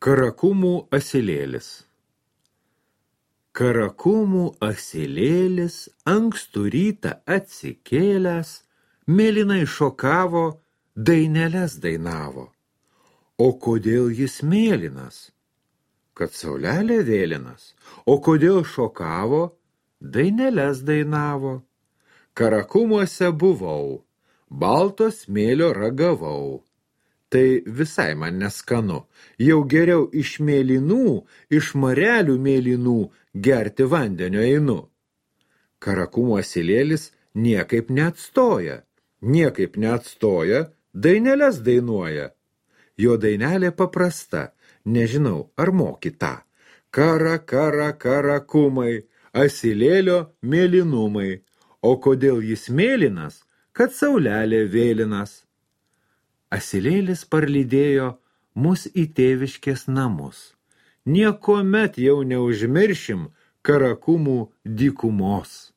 Karakumų asilėlis. Karakumų asilėlis ankstų rytą atsikėlęs, mėlynai šokavo, daineles dainavo. O kodėl jis mėlynas? Kad saulelė vėlinas. O kodėl šokavo, daineles dainavo. Karakumuose buvau, balto smėlio ragavau. Tai visai man neskanu, jau geriau iš mėlynų, iš marelių mėlynų gerti vandenio einu. Karakumų asilėlis niekaip neatstoja, daineles dainuoja. Jo dainelė paprasta, nežinau, ar moki tą. Karakumai, asilėlio mėlynumai. O kodėl jis mėlynas, kad saulelė vėlinas. Asilėlis parlydėjo mus į tėviškės namus. Niekuomet jau neužmiršim Karakumų dykumos.